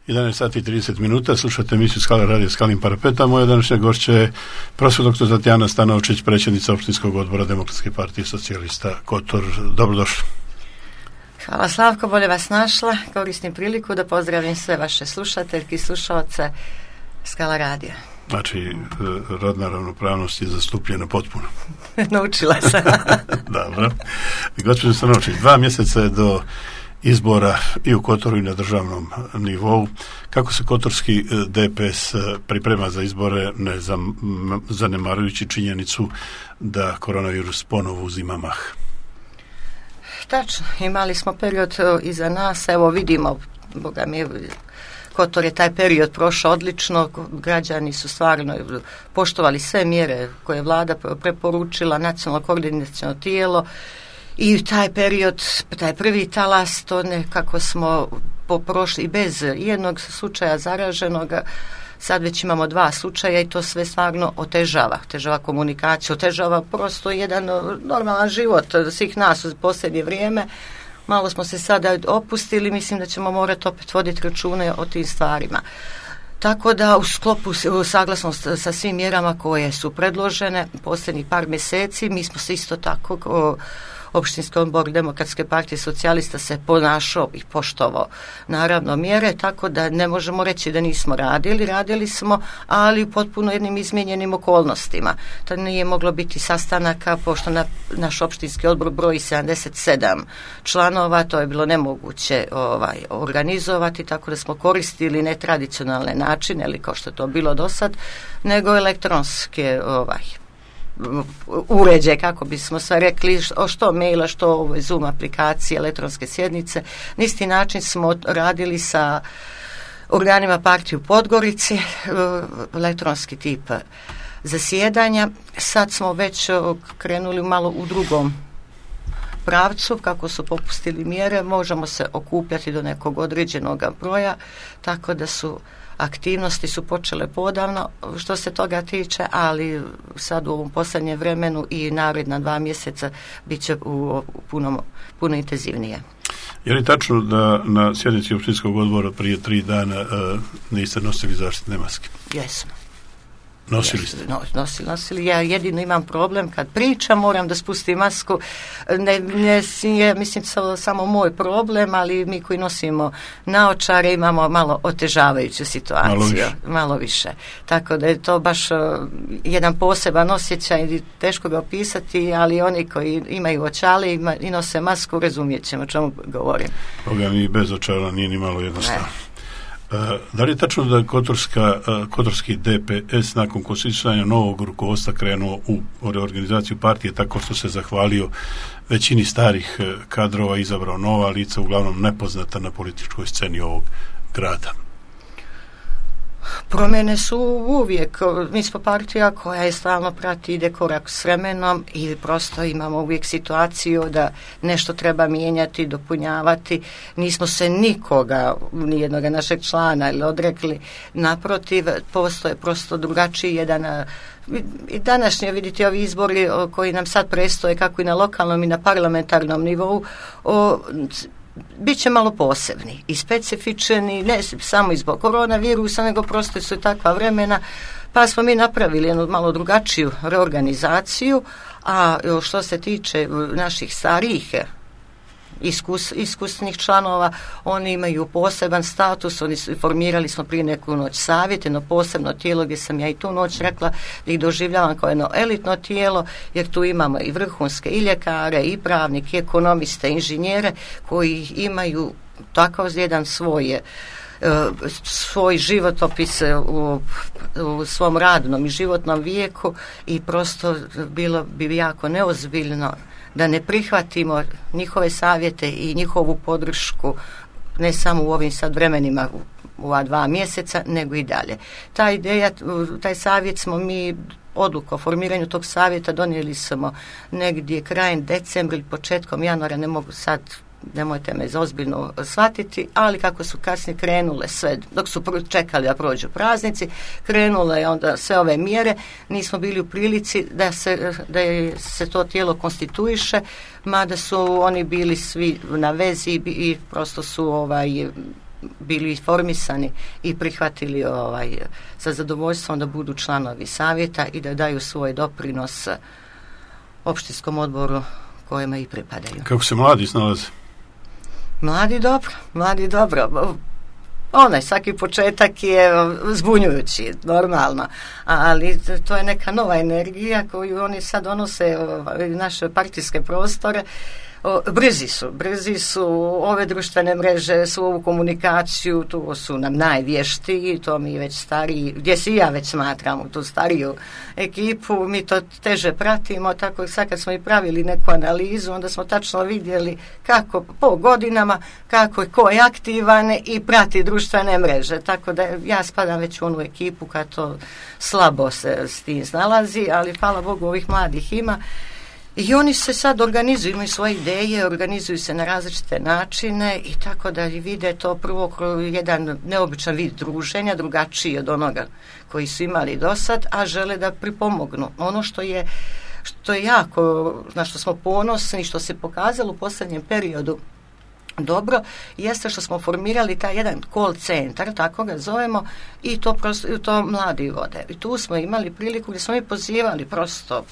11 sati i 30 minuta, slušate emisiju Skala radio Skalim parapeta. Moja današnja gošća je profesor dr. Tatjana Stanovčić, predsjednica opštinskog odbora Demokratske partije socijalista Kotor. Dobrodošli. Hvala Slavko, bolje vas našla. Koristim priliku da pozdravim sve vaše slušateljke i slušalce Skala radija. Znači, rodna ravnopravnost je zastupljena potpuno. Naučila sam. Dobro. Gospođo Stanovčić, 2 mjeseca je do izbora i u Kotoru i na državnom nivou. Kako se kotorski DPS priprema za izbore, ne zanemarujući činjenicu da koronavirus ponovo uzima mah? Tačno, imali smo period iza nas, evo vidimo, Boga mi, Kotor je taj period prošao odlično, građani su stvarno poštovali sve mjere koje je vlada preporučila, nacionalno koordinaciono tijelo, i taj period, taj prvi talas, to nekako smo prošli bez jednog slučaja zaraženog. Sad već imamo 2 slučaja i to sve stvarno otežava komunikaciju, otežava prosto jedan normalan život svih nas u posljednje vrijeme. Malo smo se sada opustili, mislim da ćemo morati opet voditi račune o tim stvarima. Tako da u sklopu saglasnost sa svim mjerama koje su predložene posljednjih par mjeseci, mi smo se isto tako Opštinski odbor Demokratske partije socijalista se ponašao i poštovao naravno mjere, tako da ne možemo reći da nismo radili smo, ali u potpuno jednim izmijenjenim okolnostima. To nije moglo biti sastanaka, pošto naš opštinski odbor broji 77 članova, to je bilo nemoguće organizovati, tako da smo koristili netradicionalne načine, ili kao što je to bilo do sad, nego elektronske uređaje, kako bismo sve rekli, što maila, što Zoom aplikacije, elektronske sjednice. Na isti način smo radili sa organima partije u Podgorici, elektronski tip zasjedanja. Sad smo već krenuli malo u drugom pravcu, kako su popustili mjere, možemo se okupljati do nekog određenog broja, tako da aktivnosti su počele podavno što se toga tiče, ali sad u ovom posljednjem vremenu i naredna 2 mjeseca bit će puno intenzivnije. Je li tačno da na sjednici opštinskog odbora prije 3 dana niste nosili zaštitne maske? Jesmo. Nosili ste? Nosili. Ja jedino imam problem kad pričam, moram da spustim masku. Mislim, samo moj problem, ali mi koji nosimo naočare imamo malo otežavajuću situaciju. Malo više. Tako da je to baš jedan poseban osjećaj i teško ga opisati, ali oni koji imaju očale i nose masku, razumijet ćemo o čemu govorim. Boga mi bez očala nije ni malo jednostavno. Da li je tačno da kotorski DPS nakon konstituiranja novog rukovodstva krenuo u reorganizaciju partije tako što se zahvalio većini starih kadrova, izabrao nova lica, uglavnom nepoznata na političkoj sceni ovog grada? Promjene su uvijek, mi smo partija koja je stalno prati, ide korak s vremenom i prosto imamo uvijek situaciju da nešto treba mijenjati, dopunjavati. Nismo se nikoga, nijednog našeg člana ili odrekli, naprotiv, postoje prosto drugačiji jedan. I današnje, vidite, ovi izbori koji nam sad predstoje kako i na lokalnom i na parlamentarnom nivou, biće malo posebni i specifični, ne samo zbog koronavirusa, nego prosto su takva vremena, pa smo mi napravili jednu malo drugačiju reorganizaciju. A što se tiče naših starijih iskusnih članova, oni imaju poseban status, formirali smo prije neku noć savjet, jedno posebno tijelo gdje sam ja i tu noć rekla da ih doživljavam kao jedno elitno tijelo, jer tu imamo i vrhunske i ljekare, i pravnike, i ekonomiste, i inženjere koji imaju takav jedan svoj životopis u svom radnom i životnom vijeku i prosto bilo bi jako neozbiljno da ne prihvatimo njihove savjete i njihovu podršku ne samo u ovim sad vremenima u ova 2 mjeseca, nego i dalje. Ta ideja, taj savjet smo mi, odluku o formiranju tog savjeta donijeli smo negdje krajem decembra ili početkom januara, ne mogu sad, nemojte me ozbiljno shvatiti, ali kako su kasnije krenule sve, dok su čekali da prođu praznici, krenule onda sve ove mjere, nismo bili u prilici da se to tijelo konstituiše, mada su oni bili svi na vezi i prosto su bili informisani i prihvatili sa zadovoljstvom da budu članovi savjeta i da daju svoj doprinos opštinskom odboru kojima i pripadaju. Kako se mladi snalaze? Mladi dobro. Svaki početak je zbunjujući, normalno, ali to je neka nova energija koju oni sad donose u naše partijske prostore. Brzi su ove društvene mreže, su ovu komunikaciju, tu su nam najvještiji, to mi već stariji, gdje si ja već smatram tu stariju ekipu, mi to teže pratimo, tako sad kad smo i pravili neku analizu, onda smo tačno vidjeli kako po godinama, kako je ko je aktivan i prati društvene mreže, tako da ja spadam već u onu ekipu kad to slabo se s tim snalazi, ali hvala Bogu ovih mladih ima. I oni se sad organizuju, imaju svoje ideje, organizuju se na različite načine i tako da vide to prvo kroz jedan neobičan vid druženja, drugačiji od onoga koji su imali do sad, a žele da pripomognu. Ono što je jako, na što smo ponosni, što se pokazalo u posljednjem periodu dobro, jeste što smo formirali taj jedan call centar, tako ga zovemo, i to mladi vode. I tu smo imali priliku gdje smo mi pozivali prosto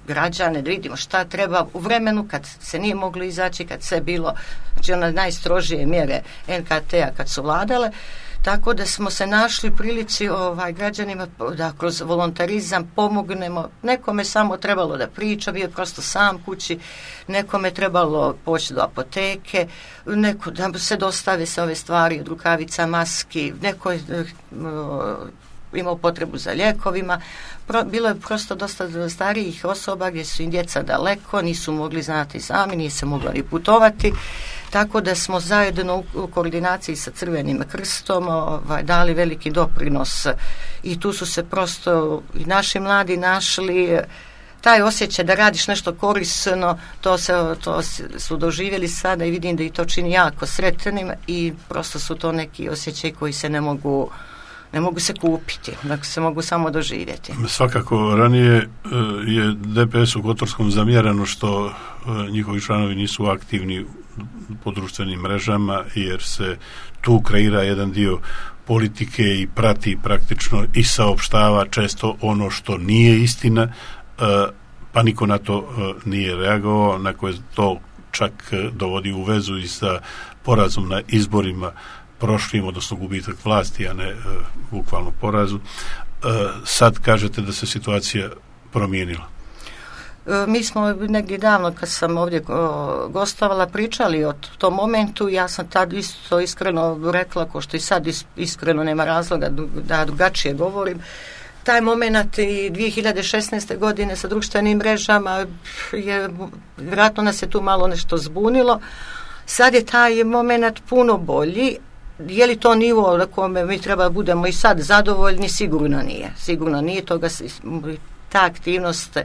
građane da vidimo šta treba u vremenu kad se nije moglo izaći, kad se bilo, znači one najstrožije mjere NKT-a kad su vladale, tako da smo se našli prilici građanima da kroz volontarizam pomognemo. Nekome samo trebalo da priča, bio je prosto sam kući, nekome trebalo poći do apoteke, da se dostave se ove stvari od rukavica, maski, neko je imao potrebu za lijekovima. Bilo je prosto dosta starijih osoba gdje su im djeca daleko, nisu mogli znati sami, nije se moglo ni putovati, tako da smo zajedno u koordinaciji sa Crvenim krstom dali veliki doprinos i tu su se prosto i naši mladi našli taj osjećaj da radiš nešto korisno, to su doživjeli sada i vidim da i to čini jako sretnim i prosto su to neki osjećaj koji se ne mogu se kupiti, nego se mogu samo doživjeti. Svakako, ranije je DPS u Kotorskom zamjerano što njihovi članovi nisu aktivni po društvenim mrežama, jer se tu kreira jedan dio politike i prati praktično i saopštava često ono što nije istina, pa niko na to nije reagovao, na koje to čak dovodi u vezu i sa porazom na izborima prošlim, odnosno gubitak vlasti, a ne bukvalno porazu. Sad kažete da se situacija promijenila. Mi smo negdje davno, kad sam ovdje gostovala, pričali o tom momentu. Ja sam tad isto iskreno rekla, ko što i sad iskreno nema razloga da drugačije govorim. Taj moment i 2016. godine sa društvenim mrežama vjerojatno nas je tu malo nešto zbunilo. Sad je taj moment puno bolji. Je li to nivo na kome mi treba budemo i sad zadovoljni? Sigurno nije. Ta aktivnost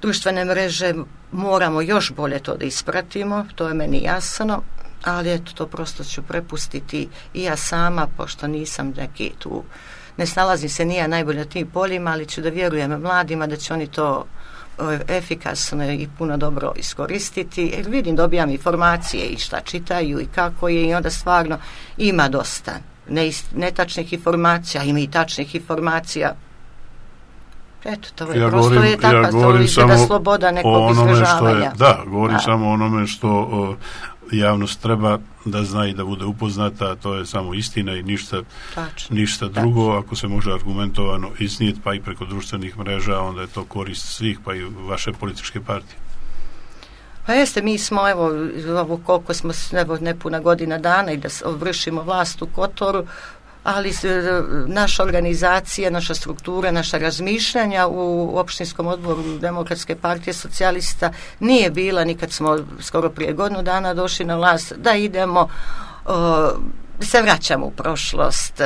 društvene mreže moramo još bolje to da ispratimo, to je meni jasno, ali eto, to prosto ću prepustiti i ja sama, pošto nisam neki tu, ne snalazim se nije najbolje na tim poljima, ali ću da vjerujem mladima da će oni to efikasno i puno dobro iskoristiti, jer vidim, dobijam informacije i šta čitaju i kako je, i onda stvarno ima dosta netačnih informacija, ima i tačnih informacija. Eto, to je prosto je takva sloboda nekog izražavanja. Govorim samo o onome što javnost treba da zna i da bude upoznata, a to je samo istina i ništa drugo. Ako se može argumentovano iznijeti, pa i preko društvenih mreža, onda je to korist svih, pa i vaše političke partije. Pa jeste, mi smo, koliko smo, nepuna godina dana i da vršimo vlast u Kotoru, ali naša organizacija, naša struktura, naša razmišljanja u opštinskom odboru Demokratske partije socijalista nije bila, nikad smo skoro prije godinu dana došli na vlast, da idemo, se vraćamo u prošlost.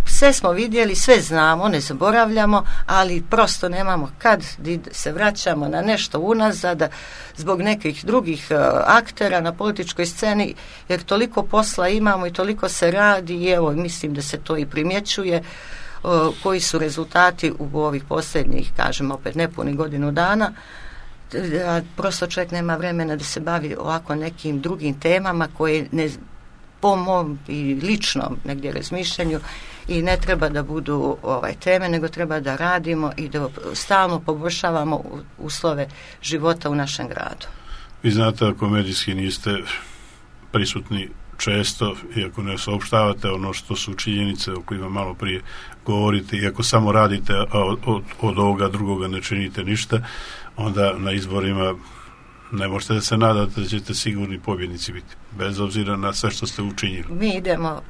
Sve smo vidjeli, sve znamo, ne zaboravljamo, ali prosto nemamo kad se vraćamo na nešto unazad zbog nekih drugih aktera na političkoj sceni, jer toliko posla imamo i toliko se radi i evo, mislim da se to i primjećuje, koji su rezultati u ovih posljednjih, kažem opet, nepunih godinu dana. Prosto čovjek nema vremena da se bavi ovako nekim drugim temama koje po mom i ličnom negdje razmišljanju, i ne treba da budu teme, nego treba da radimo i da stalno poboljšavamo uslove života u našem gradu. Vi znate, ako medijski niste prisutni često, iako ne saopštavate ono što su činjenice o kojima malo prije govorite, iako samo radite, a od ovoga drugoga ne činite ništa, onda na izborima ne možete da se nadate da ćete sigurni pobjednici biti, bez obzira na sve što ste učinili. Mi idemo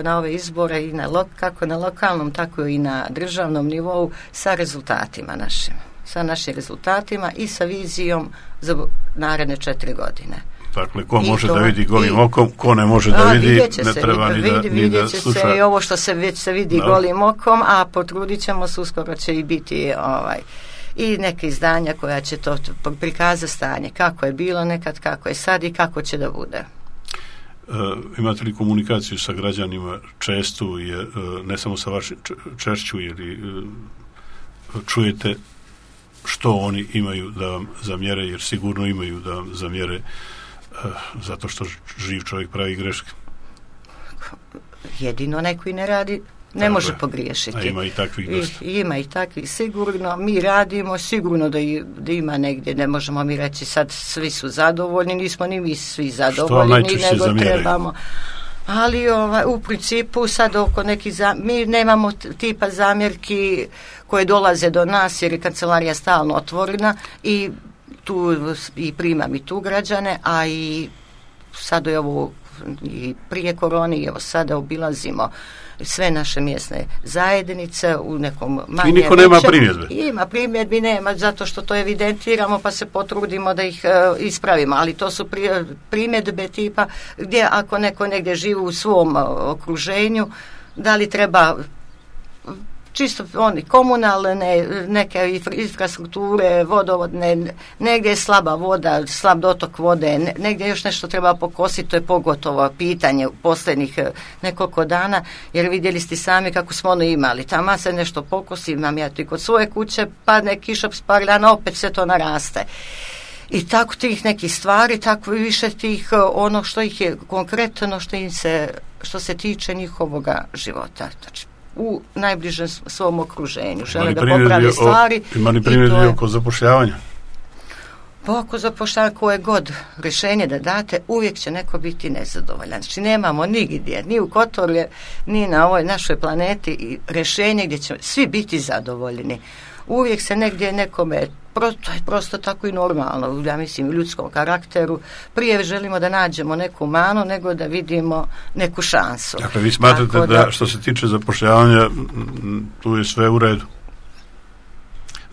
na ove izbore i kako na lokalnom, tako i na državnom nivou sa rezultatima našim. Sa našim rezultatima i sa vizijom za naredne 4 godine. Dakle, ko može da vidi golim okom, ko ne može da vidi, ne treba ni da sluša. Se i ovo što se već se vidi golim okom, a potrudit ćemo se, uskoro će i biti i neke izdanja koja će to prikazati stanje, kako je bilo nekad, kako je sad i kako će da bude. Imate li komunikaciju sa građanima čestu, ne samo sa vašim češću, ili čujete što oni imaju da vam zamjere, jer sigurno imaju da vam zamjere zato što živ čovjek pravi greške? Jedino neko i ne radi ne može pogriješiti. A ima i takvih dosta. Ima i takvih sigurno. Mi radimo sigurno da ima negdje, ne možemo mi reći sad svi su zadovoljni, nismo ni mi svi zadovoljni, nego trebamo. Ali u principu sad oko nekih mi nemamo tipa zamjerki koje dolaze do nas, jer je kancelarija stalno otvorena i tu i primam i tu građane, a i sad je ovo i prije korone i evo sada obilazimo sve naše mjesne zajednice u nekom manjem. I niko nema primjedbe? Ima primjedbi, nema, zato što to evidentiramo pa se potrudimo da ih ispravimo, ali to su primjedbe tipa gdje ako neko negdje živi u svom okruženju, da li treba čisto oni komunalne, neke infrastrukture, vodovodne, negdje je slaba voda, slab dotok vode, negdje još nešto treba pokositi, to je pogotovo pitanje u posljednjih nekoliko dana, jer vidjeli ste sami kako smo ono imali, tamo se nešto pokosi, imam ja ti kod svoje kuće, padne kiša par dana, opet se to naraste. I tako tih nekih stvari, tako i više tih ono što ih je konkretno, što se tiče njihovoga života. Znači, u najbližem svom okruženju. Žele da popravi stvari. Ima li primjedbi oko zapošljavanja? Pa oko zapošljavanja koje god rješenje da date, uvijek će neko biti nezadovoljan. Znači nemamo nigdje, ni u Kotorlje, ni na ovoj našoj planeti rješenje gdje će svi biti zadovoljni. Uvijek se negdje nekome, to je prosto tako i normalno, ja mislim, u ljudskom karakteru. Prije želimo da nađemo neku manu nego da vidimo neku šansu. Dakle, vi smatrate da što se tiče zapošljavanja, tu je sve u redu?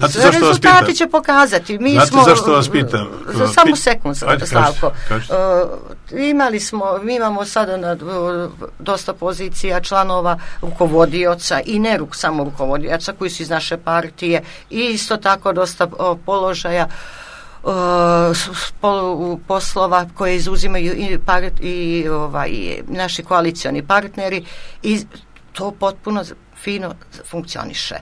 Sve rezultati će pokazati. Zašto vas pitam? Samo sekund, Slavko. Mi imamo sada dosta pozicija članova rukovodioca i ne samo rukovodioca koji su iz naše partije i isto tako dosta položaja poslova koje izuzimaju i naši koalicioni partneri i to potpuno fino funkcioniše.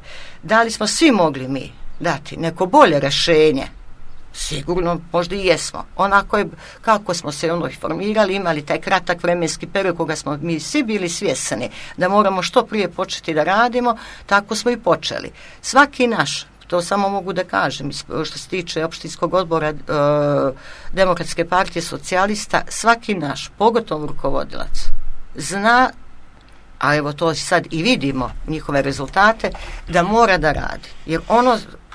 Da li smo svi mogli mi dati neko bolje rješenje? Sigurno, možda i jesmo. Onako je, kako smo se formirali, imali taj kratak vremenski period koga smo mi svi bili svjesni da moramo što prije početi da radimo, tako smo i počeli. Svaki naš, to samo mogu da kažem, što se tiče opštinskog odbora Demokratske partije socijalista, svaki naš, pogotovo rukovodilac, zna, a evo to sad i vidimo njihove rezultate, da mora da radi. Jer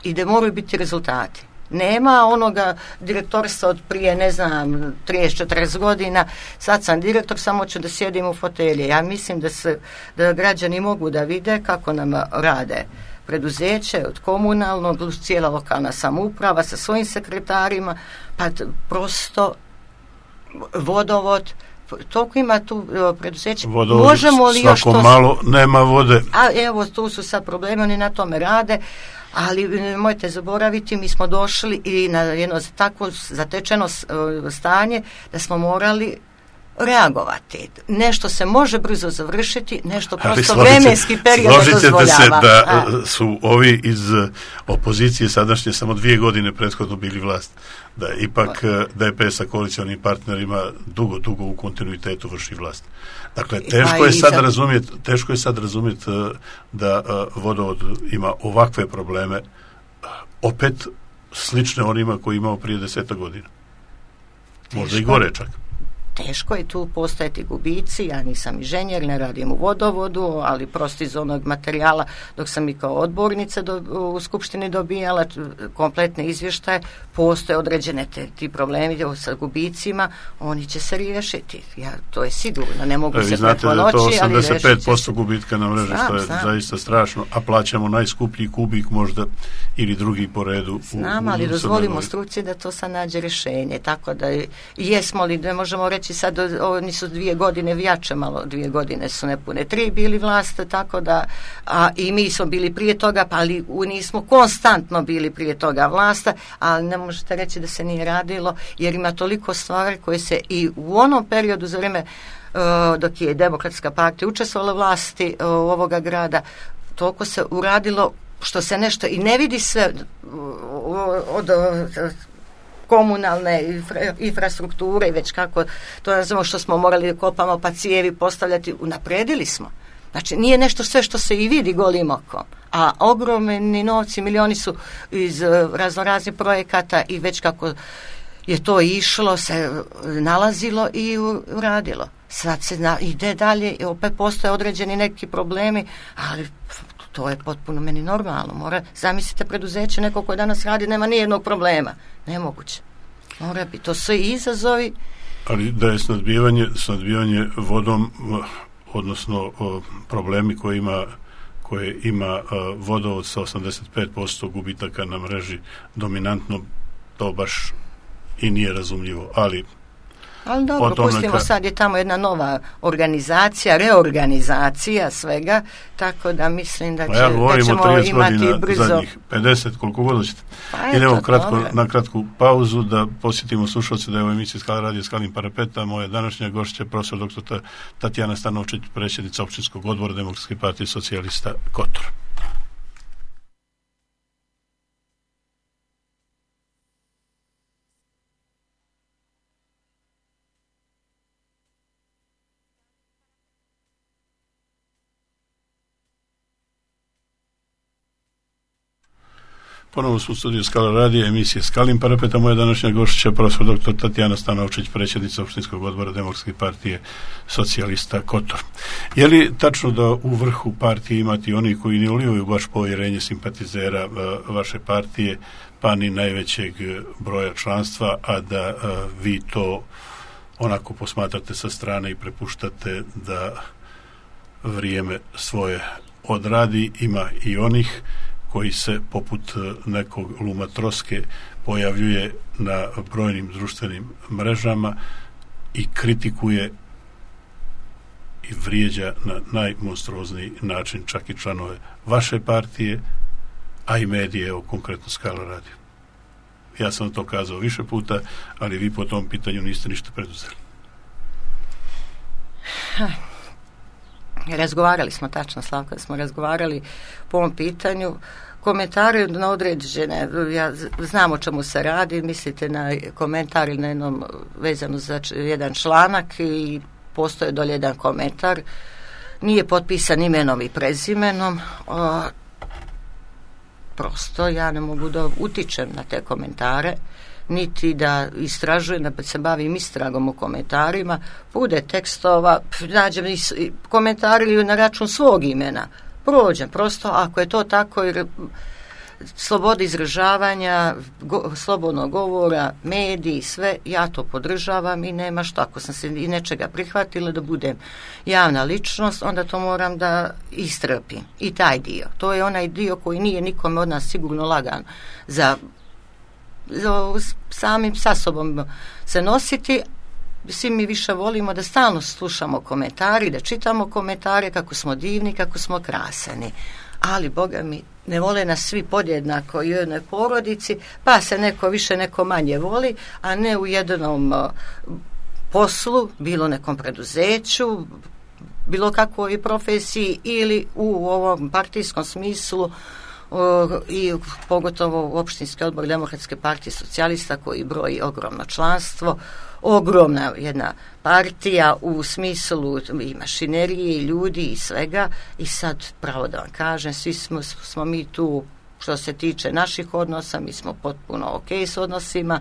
i da moraju biti rezultati. Nema onoga direktorstva od prije, 30-40 godina, sad sam direktor, samo ću da sjedim u fotelje. Ja mislim da građani mogu da vide kako nam rade preduzeće, od komunalnog, cijela lokalna samouprava sa svojim sekretarima, pa prosto vodovod, toliko ima tu preduzeća. Možemo li još to... malo nema vode. A evo, tu su sad problemi, oni na tome rade, ali nemojte zaboraviti, mi smo došli i na jedno tako zatečeno stanje da smo morali reagovati. Nešto se može brzo završiti, nešto prosto vremenski period dozvoljava. Složite se da su ovi iz opozicije sadašnje samo 2 godine prethodno bili vlast. Da ipak DPS sa koalicionim partnerima dugo u kontinuitetu vrši vlast. Dakle, teško je sad razumjeti da vodovod ima ovakve probleme, opet slične onima koji imao prije 10 godina. Možda i gore čak. Teško je tu postojati gubici, ja nisam inženjer, ne radim u vodovodu, ali prosto iz onog materijala dok sam i kao odbornica u Skupštini dobijala kompletne izvještaje, postoje određene ti problemi sa gubicima, oni će se riješiti. To je sigurno, ne mogu se preko noći, ali riješit će se. 85% gubitka na mreži, što je zaista strašno, a plaćamo najskuplji kubik možda ili drugi po redu. Znam, ali dozvolimo struci da to sad nađe rješenje, tako da jesmo li, ne možemo reći sad oni su 2 godine vijače, malo 2 godine su nepune 3 bili vlast, tako da i mi smo bili prije toga, ali nismo konstantno bili prije toga vlasta, ali ne možete reći da se nije radilo, jer ima toliko stvari koje se i u onom periodu za vrijeme dok je Demokratska partija učestvovala u vlasti ovoga grada, toliko se uradilo što se nešto i ne vidi sve od komunalne infrastrukture i već kako to ne znamo što smo morali kopamo pa cijevi postavljati, unapredili smo. Znači nije nešto sve što se i vidi golim okom, a ogromni novci, milioni su iz raznoraznih projekata i već kako je to išlo se nalazilo i uradilo. Sad se ide dalje i opet postoje određeni neki problemi, ali to je potpuno meni normalno. Zamislite preduzeće, neko koje danas radi, nema nijednog problema. Nemoguće. Mora biti. To su i izazovi. Ali da je snadbivanje vodom, odnosno problemi koje ima vodovod sa 85% gubitaka na mreži dominantno, to baš i nije razumljivo. Ali dobro, pustimo sad je tamo jedna nova organizacija, reorganizacija svega, tako da mislim da ćemo imati brzo. Zadnjih 50, koliko god hoćete. Idemo na kratku pauzu da posjetimo slušalce da je u emisiji Skala radio Skalim parapeta. Moja današnja gošća profesor dr. Tatjana Stanovčić, predsjednica općinskog odbora Demokratske partije socijalista Kotor. Ponovno smo u studiju Skala radija, emisije Skalim parapeta. Moja današnja gošća profesor dr. Tatjana Stanovčić, predsjednica općinskog odbora Demokratske partije socijalista Kotor. Je li tačno da u vrhu partije imati oni koji ne ulivaju baš povjerenje simpatizera vaše partije, pa ni najvećeg broja članstva, a da vi to onako posmatrate sa strane i prepuštate da vrijeme svoje odradi? Ima i onih koji se poput nekog Luma Troske pojavljuje na brojnim društvenim mrežama i kritikuje i vrijeđa na najmonstruozniji način čak i članove vaše partije, a i medije, evo konkretno Skala radio. Ja sam to kazao više puta, ali vi po tom pitanju niste ništa preduzeli. Razgovarali smo, tačno Slavka, smo razgovarali po ovom pitanju. Komentari na određene, ja znam o čemu se radi, mislite na komentar ili na jednom vezano za jedan članak i postoje dolje jedan komentar, nije potpisan imenom i prezimenom, prosto ja ne mogu da utičem na te komentare, niti da istražujem, da se bavim istragom o komentarima, bude tekstova, nađem komentari ili na račun svog imena, prođem, prosto ako je to tako, jer sloboda izražavanja, slobodnog govora, mediji, sve, ja to podržavam i nema što, ako sam se i nečega prihvatila da budem javna ličnost, onda to moram da istrpim. I taj dio, to je onaj dio koji nije nikome od nas sigurno lagan za samim sa sobom se nositi. Svi mi više volimo da stalno slušamo komentari, da čitamo komentare kako smo divni, kako smo krasani. Ali, Boga mi, ne vole nas svi podjednako i u jednoj porodici, pa se neko više, neko manje voli, a ne u jednom poslu, bilo nekom preduzeću, bilo kakvoj profesiji ili u ovom partijskom smislu i pogotovo u opštinski odbor Demokratske partije socijalista koji broji ogromno članstvo, ogromna jedna partija u smislu i mašinerije i ljudi i svega i sad pravo da vam kažem, svi smo mi tu što se tiče naših odnosa, mi smo potpuno ok s odnosima,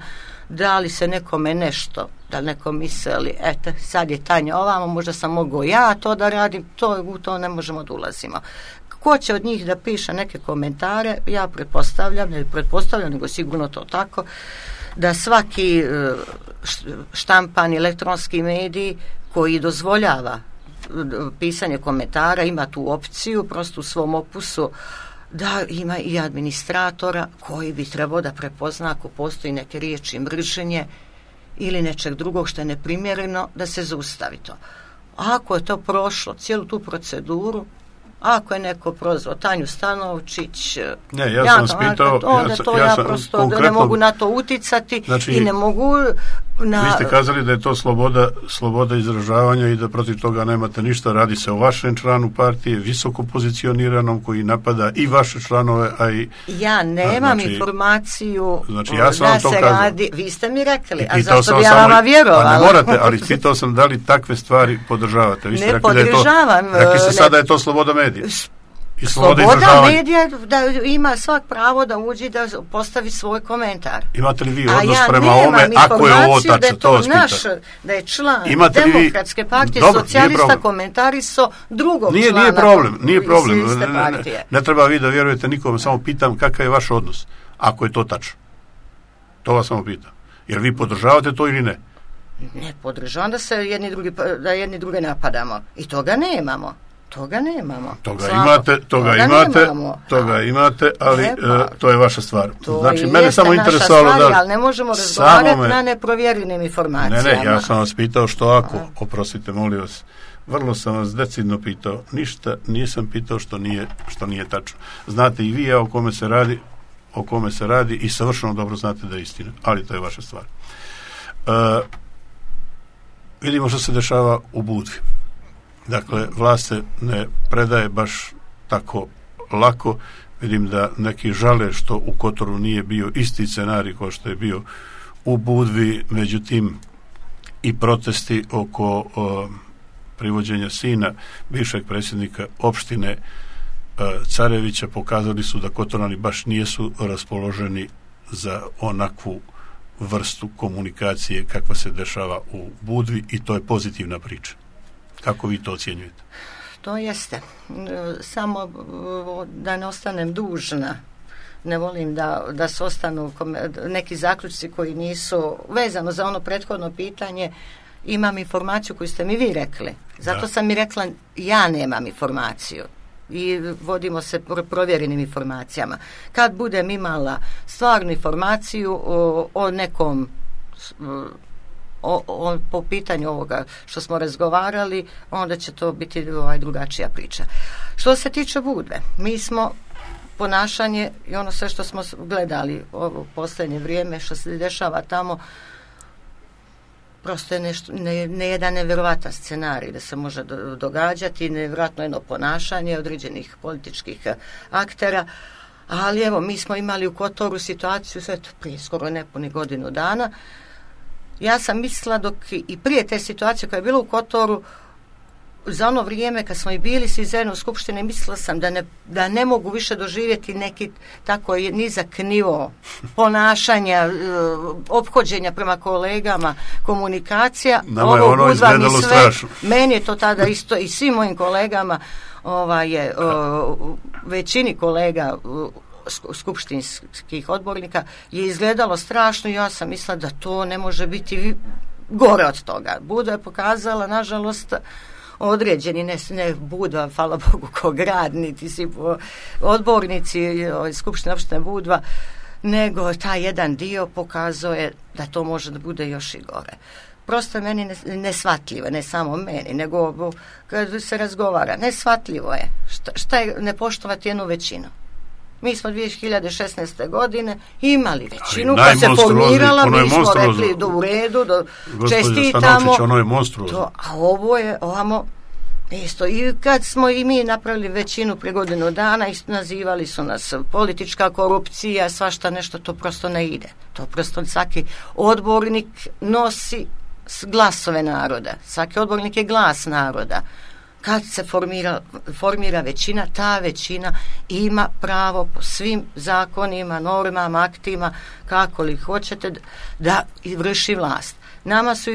da li se nekome nešto, da li neko misli, eto, sad je Tanja ovamo, možda sam mogao ja to da radim, u to ne možemo da ulazimo. Ko će od njih da piše neke komentare, ja pretpostavljam, nego sigurno to tako, da svaki štampani elektronski medij koji dozvoljava pisanje komentara ima tu opciju, prosto u svom opusu, da ima i administratora koji bi trebao da prepozna ako postoji neke riječi mržnje ili nečeg drugog što je neprimjereno, da se zaustavi to. Ako je to prošlo, cijelu tu proceduru, ako je neko prozvao Tanju Stanovčić, ja sam vas pitao, ja prosto ne mogu na to uticati, znači, i ne mogu vi ste kazali da je to sloboda izražavanja i da protiv toga nemate ništa. Radi se o vašem članu partije, visoko pozicioniranom, koji napada i vaše članove, a i... Ja nemam informaciju ja sam da se radi... Vi ste mi rekli, a zašto bi ja vama vjerovala? A ne morate, ali pitao sam da li takve stvari podržavate. Vi ste ne podržavam. Rekli ste sada da je to sloboda medija. Sloboda medija da ima svak pravo da uđe da postavi svoj komentar. Imate li vi odnos prema ovome ako je ovo tačno? To da je član Demokratske partije socijalista komentarisao drugog člana. Nije problem. Ne treba vi da vjerujete nikome, samo pitam kakav je vaš odnos ako je to tačno. To vas samo pitam. Jer vi podržavate to ili ne? Ne podržavam da se jedni druge napadamo. I toga nemamo. Toga imate, ali to je vaša stvar. Znači, mene samo interesovalo da... Ali ne možemo razgovarati na neprovjerenim informacijama. Ne, ja sam vas pitao što ako, oprostite, molim vas, vrlo sam vas decidno pitao, ništa nisam pitao što nije tačno. Znate i vi o kome se radi i savršeno dobro znate da je istina, ali to je vaša stvar. Vidimo što se dešava u Budvi. Dakle, vlast se ne predaje baš tako lako. Vidim da neki žale što u Kotoru nije bio isti scenarij kao što je bio u Budvi, međutim i protesti oko privođenja sina bivšeg predsjednika opštine Carevića pokazali su da Kotorani baš nijesu raspoloženi za onakvu vrstu komunikacije kakva se dešava u Budvi i to je pozitivna priča. Kako vi to ocjenjujete? To jeste. Samo da ne ostanem dužna. Ne volim da se ostanu neki zaključci koji nisu vezano za ono prethodno pitanje. Imam informaciju koju ste mi vi rekli. Zato sam mi rekla ja nemam informaciju. I vodimo se provjerenim informacijama. Kad budem imala stvarnu informaciju o nekom po pitanju ovoga što smo razgovarali, onda će to biti drugačija priča. Što se tiče Budve, mi smo ponašanje i ono sve što smo gledali ovo posljednje vrijeme, što se dešava tamo, prosto je nešto, ne jedan nevjerovatan scenarij da se može događati, nevjerojatno jedno ponašanje određenih političkih aktera, ali evo, mi smo imali u Kotoru situaciju sve to prije skoro nepuni godinu dana. Ja sam mislila dok i prije te situacije koja je bila u Kotoru, za ono vrijeme kad smo i bili svi zajedno u skupštini, mislila sam da ne mogu više doživjeti neki tako nizak nivo ponašanja, ophođenja prema kolegama, komunikacija. Nama je ono izgledalo strašno. Meni je to tada isto i svim mojim kolegama, većini kolega skupštinskih odbornika je izgledalo strašno i ja sam mislila da to ne može biti gore od toga. Budva je pokazala, nažalost, određeni, ne Budva, hvala Bogu, ko grad, niti si odbornici Skupštine opštine Budva, nego taj jedan dio pokazuje da to može da bude još i gore. Prosto je meni neshvatljivo, ne samo meni, nego kad se razgovara, neshvatljivo je šta je ne poštovati jednu većinu. Mi smo 2016. godine imali većinu koja se formirala, mi smo rekli do u redu, čestitamo. Ono je monstruozno. A ovo je ovamo isto. I kad smo i mi napravili većinu prije godinu dana, nazivali su nas politička korupcija, svašta nešto, to prosto ne ide. To prosto svaki odbornik nosi glasove naroda. Svaki odbornik je glas naroda. Kad se formira većina, ta većina ima pravo po svim zakonima, normama, aktima, kako li hoćete, da vrši vlast. Nama su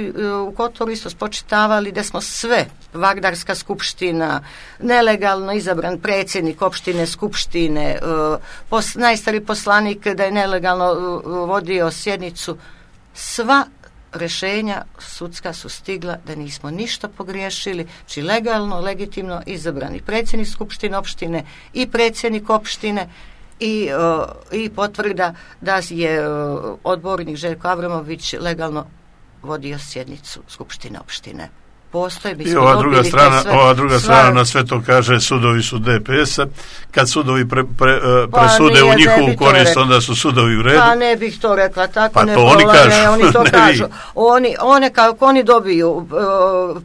u Kotoru isto spočitavali da smo sve, Vardarska skupština, nelegalno izabran predsjednik opštine, skupštine, najstari poslanik da je nelegalno vodio sjednicu. Sva rješenja sudska su stigla da nismo ništa pogriješili, či legalno, legitimno izabrani predsjednik skupštine opštine i predsjednik opštine i potvrda da je odbornik Željko Avramović legalno vodio sjednicu skupštine opštine. I ova druga strana na sve to kaže sudovi su DPS-a. Kad sudovi presude u njihovu korist, onda su sudovi u redu. Pa ne bih to rekla tako. Pa to oni kažu. Oni to kažu. Kako oni dobiju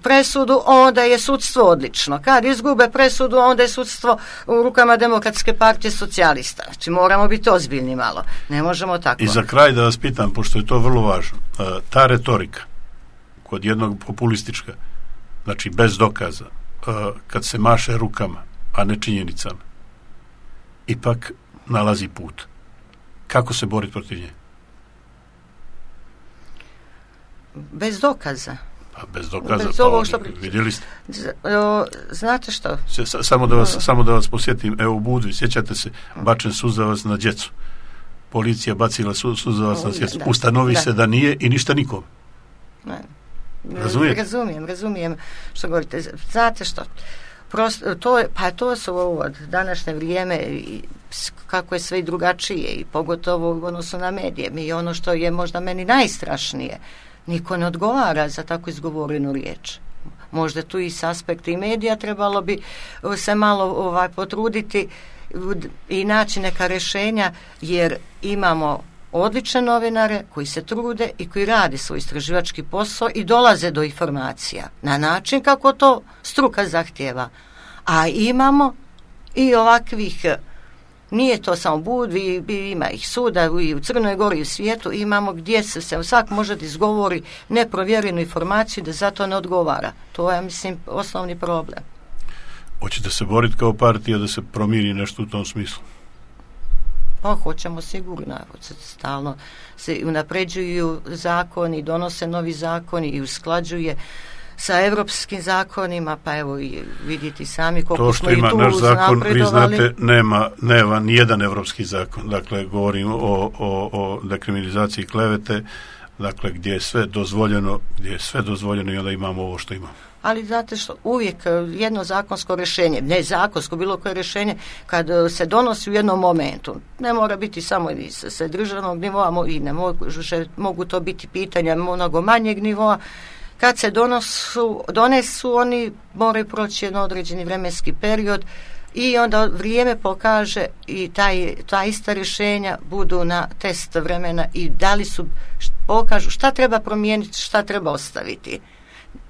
presudu, onda je sudstvo odlično. Kad izgube presudu, onda je sudstvo u rukama Demokratske partije socijalista. Znači moramo biti ozbiljni malo. Ne možemo tako. I za kraj da vas pitam, pošto je to vrlo važno, ta retorika kod jednog populistička, znači bez dokaza, kad se maše rukama, a ne činjenicama, ipak nalazi put. Kako se boriti protiv nje? Bez dokaza. Pa bez dokaza, bez vidjeli ste. Znate što? Samo da vas posjetim, evo u Budvi, sjećate se, bačen suzavac na djecu. Policija bacila suzavac na djecu. Ustanovi se da nije i ništa nikom. Ne. Razumijem što govorite. Znate što? To su ovo današnje vrijeme, kako je sve i drugačije, i pogotovo u odnosu na medije. Mi ono što je možda meni najstrašnije, niko ne odgovara za tako izgovorenu riječ. Možda tu i s aspekta i medija trebalo bi se malo potruditi i naći neka rješenja, jer imamo odlične novinare koji se trude i koji rade svoj istraživački posao i dolaze do informacija na način kako to struka zahtjeva. A imamo i ovakvih, nije to samo Budvi, ima ih suda i u Crnoj Gori i u svijetu, imamo gdje se svak može da izgovori neprovjerenu informaciju da zato ne odgovara. To je, mislim, osnovni problem. Hoćete se boriti kao partija da se promijeni nešto u tom smislu? Pa hoćemo sigurno, stalno se unapređuju zakoni, donose novi zakoni i usklađuje sa europskim zakonima, pa evo i vidite sami koliko smo i tu napredovali. To što ima naš zakon, vi znate, nema nijedan europski zakon, dakle govorim o dekriminalizaciji klevete, dakle gdje je sve dozvoljeno i onda imamo ovo što imamo. Ali znate što, uvijek jedno zakonsko rješenje, ne zakonsko, bilo koje rješenje, kad se donosi u jednom momentu, ne mora biti samo sa državnog nivoa, i ne mogu to biti pitanja mnogo manjeg nivoa, kad se donesu, oni moraju proći jedan određeni vremenski period i onda vrijeme pokaže i ta ista rješenja budu na test vremena i pokažu šta treba promijeniti, šta treba ostaviti.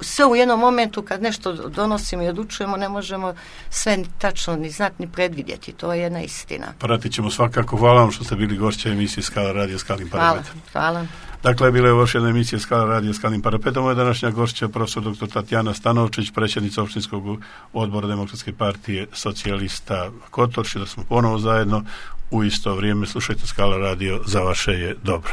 Sve u jednom momentu kad nešto donosimo i odlučujemo ne možemo sve tačno ni znati ni predvidjeti. To je jedna istina. Pratit ćemo svakako. Hvala vam što ste bili gošća emisije Skala radio Skalnim parapetom. Hvala. Dakle, bila je još jedna emisija Skala radio Skalnim parapetom. Moja današnja gošća profesor dr. Tatjana Stanovčić, predsjednica opštinskog odbora Demokratske partije socijalista Kotor. Da smo ponovo zajedno u isto vrijeme. Slušajte Skala radio, za vaše je dobro.